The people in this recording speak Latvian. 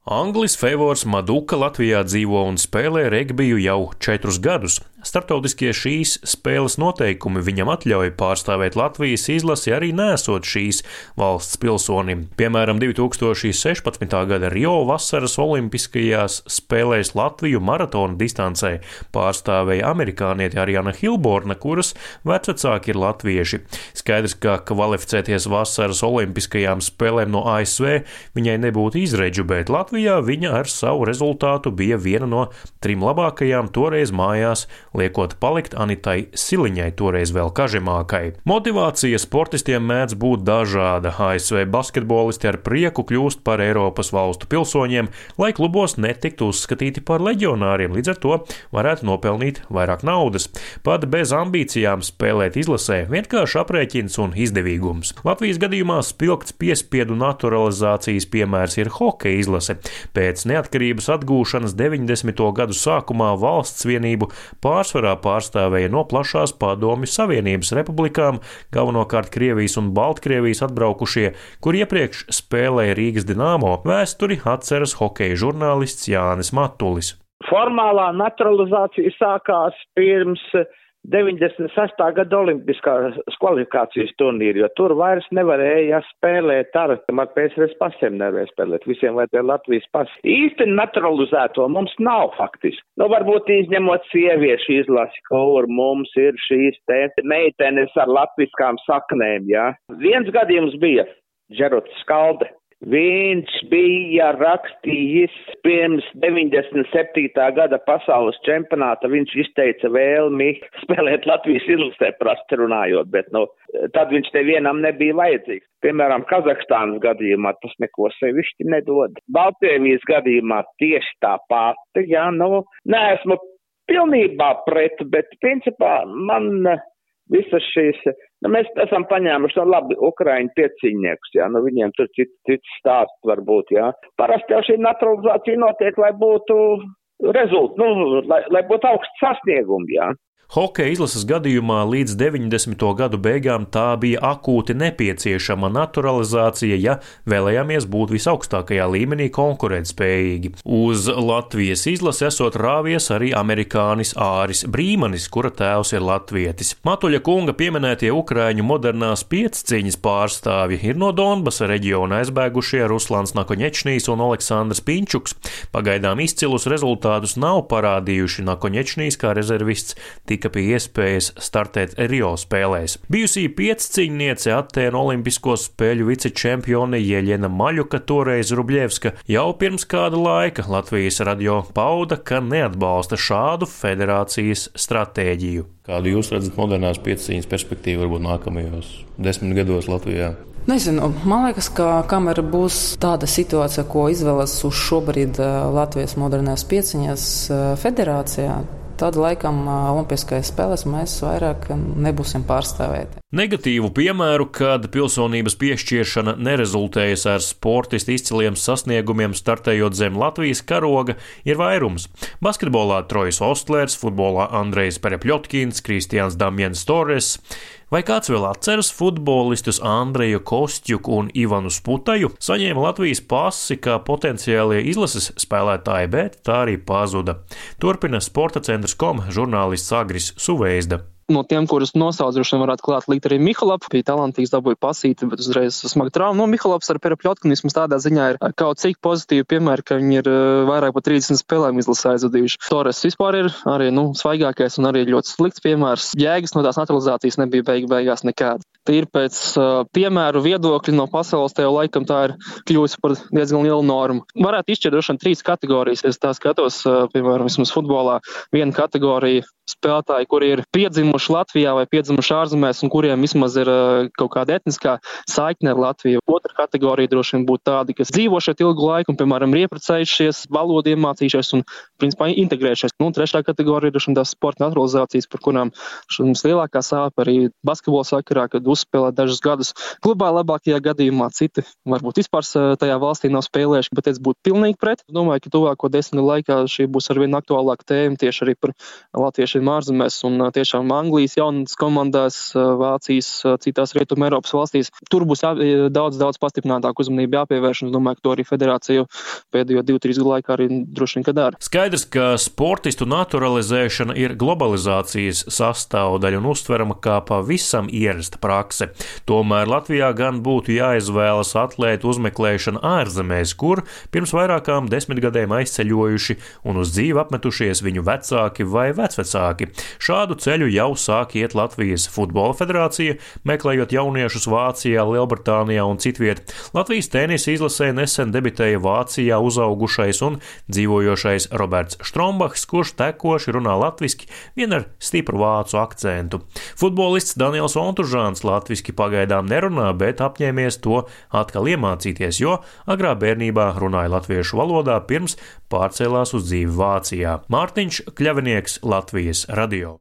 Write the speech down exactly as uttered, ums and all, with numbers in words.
Anglis Fevors Maduka Latvijā dzīvo un spēlē regbiju jau četrus gadus. Startautiskie šīs spēles noteikumi viņam atļauj pārstāvēt Latvijas izlasi arī nesot šīs valsts pilsonim. Piemēram, divi tūkstoši sešpadsmitā gada Rio vasaras olimpiskajās spēlēs Latviju maratona distancē pārstāvēja amerikānieti Ariana Hilborna, kuras vecvecāki ir latvieši. Skaidrs, ka kvalificēties vasaras olimpiskajām spēlēm no A S V viņai nebūtu izredžu, bet Latvijā viņa ar savu rezultātu bija viena no trim labākajām toreiz mājās, liekot palikt Anitai Siliņai, toreiz vēl kažemākai. Motivācija sportistiem mēdz būt dažāda. A S V basketbolisti ar prieku kļūst par Eiropas valstu pilsoņiem, lai klubos netiktu uzskatīti par leģionāriem, līdz ar to varētu nopelnīt vairāk naudas. Pat bez ambīcijām spēlēt izlasē vienkārši aprēķins un izdevīgums. Latvijas gadījumā spilgts piespiedu naturalizācijas piemērs ir hokeja izlase. Pēc neatkarības atgūšanas deviņdesmito gadu sākumā valsts vienību pārsvarā pārstāvēja no plašās Padomju Savienības republikām, galvenokārt Krievijas un Baltkrievijas atbraukušie, kur iepriekš spēlēja Rīgas Dinamo. Vēsturi atceras hokeja žurnālists Jānis Matulis. Formālā naturalizācija sākās pirms deviņdesmit sestā gada olimpiskās kvalifikācijas turnīri, jo tur vairs nevarēja spēlēt ar, ar P S R S pasiem nevarēja spēlēt, visiem vajadzēja Latvijas pasi. Īsti naturalizēto mums nav faktiski. Nu, varbūt izņemot sieviešu izlasi, kur mums ir šīs te meitenes ar latviskām saknēm, jā. Viens gadījums bija Džerots Skalde. Viņš bija rakstījis pirms deviņdesmit septītā gada pasaules čempionāta, viņš izteica vēlmi spēlēt Latvijas izlasē prasti runājot, bet nu, tad viņš nevienam nebija vajadzīgs. Piemēram, Kazahstānas gadījumā tas neko sevišķi nedod. Baltkrievijas gadījumā tieši tā pati, jā, nu, neesmu pilnībā pret, bet principā man visas šīs, nu, mēs esam paņēmuši, nu, labi, Ukraiņu pieciņniekus, jā, nu, viņiem tur cits, cits stāsts varbūt, jā. Parasti jau šī naturalizācija notiek, lai būtu rezultāti, nu, lai, lai būtu augsts sasniegumi, jā. Hokeja izlases gadījumā līdz deviņdesmito gadu beigām tā bija akūti nepieciešama naturalizācija, ja vēlējāmies būt visaugstākajā līmenī konkurētspējīgi. Uz Latvijas izlasi esot rāvies arī amerikānis Āris Brīmanis, kura tēvs ir latvietis. Matuļa kunga pieminētie ukraiņu modernās piecciņas pārstāvji ir no Donbasa reģiona aizbēgušie Ruslans Nakoņečnijs un Aleksandrs Pinčuks. Pagaidām izcilus rezultātus nav parādījuši. Nakoņečnijs kā rezervists tika pie iespējas startēt Rio spēlēs. Bijusī piecciņniece Atēnu olimpisko spēļu vicečempione Jeļena Maļuka, toreiz Rubļevska, jau pirms kāda laika Latvijas radio pauda, ka neatbalsta šādu federācijas stratēģiju. Kādu jūs redzat modernās piecciņas perspektīvu varbūt nākamajos desmit gados Latvijā? Nezinu, man liekas, ka kamēr būs tāda situācija, ko izvēlas uz šobrīd Latvijas modernās piecciņas federācijā, tad laikam Olimpiskajās spēlēs mēs vairāk nebūsim pārstāvēti. Negatīvu piemēru, kad pilsonības piešķiršana nerezultējas ar sportistu izciliem sasniegumiem startējot zem Latvijas karoga, ir vairums. Basketbolā Trojs Ostlers, futbolā Andrejs Perepļotkins, Kristians Damjens Torres. Vai kāds vēl atceras futbolistus Andreju Kostjuku un Ivanu Sputaju? Saņēma Latvijas pasi kā potenciālie izlases spēlētāji, bet tā arī pazuda. Turpina Sporta centrs kom žurnālists Agris Suveizda. No tiem, kurus nosaucuši, varētu klāt likt arī Mihalaps. Bija talantīgs, dabūja pasīti, bet uzreiz smaga trauma. Nu, Mihalaps ar Perepļotkinismu tādā ziņā ir kaut cik pozitīvi piemēri, ka viņi ir vairāk par trīsdesmit spēlēm izlasē aizvadījuši. Torres vispār ir arī, nu, svaigākais un arī ļoti slikts piemērs. Jēgas no tās naturalizācijas nebija beig beigās nekāda. Tīri pēc uh, piemēru viedokļi no pasaules tajā laikam tā ir kļūsi par diezgan lielu normu. Varētu izšķirt droši vien trīs kategorijas. Es tā skatos, uh, piemēram, vismaz futbolā, viena kategorija spēlētāji, kuri ir piedzimuši Latvijā vai piedzimuši ārzemēs un kuriem vismaz ir uh, kaut kāda etniskā saikne ar Latviju. Otra kategorija droši vien būtu tādi, kas dzīvo šeit ilgu laiku un, piemēram, ir ieprecējušies, valodu iemācījušies un, principā, integrējušies. Nu, trešā kategorija droši vien tās sporta naturalizācijas, par kurām mums lielākā sāpe arī basketbola sakarā, kad uzspēlēt dažus gadus klubā, labākajā gadījumā citi varbūt vispār tajā valstī nav spēlējuši, bet es būtu pilnīgi pret. Domāju, ka tuvāko desmit laikā šī būs arvien aktuālāka tēma tieši arī par latviešu vīriešiem ārzemēs un tiešām Anglijas jaunas komandās, Vācijas, citās Rietuma Eiropas valstīs. Tur būs jā, daudz, daudz pastiprinātāk uzmanība jāpievērš, un es domāju, ka to arī federācija pēdējo divu, trīs gadu laikā arī droši vien, ka dara. Skaidrs, ka sportistu naturalizēšana ir globalizācijas sastāvdaļa un uztverama kā pavisam ierasta prakse. Tomēr Latvijā gan būtu jāizvēlas atlētu uzmeklēšana ārzemēs, kur pirms vairākām desmitgadēm aizceļojuši un uz dzīvi apmetušies viņu vecāki vai vecvecāki. Šādu ceļu jau sāk iet Latvijas futbola federācija, meklējot jauniešus Vācijā, Lielbritānijā un citviet. Latvijas tenisa izlasē nesen debitēja Vācijā uzaugušais un dzīvojošais Roberts Štrombahs, kurš tekoši runā latviski, vien ar stipru vācu akcentu. Futbolists Daniels Ontužāns latviski pagaidām nerunā, bet apņēmies to atkal iemācīties, jo agrā bērnībā runāja latviešu valodā pirms pārcēlās uz dzīvi Vācijā. Mārtiņš Kļavinieks, Latvijas radio.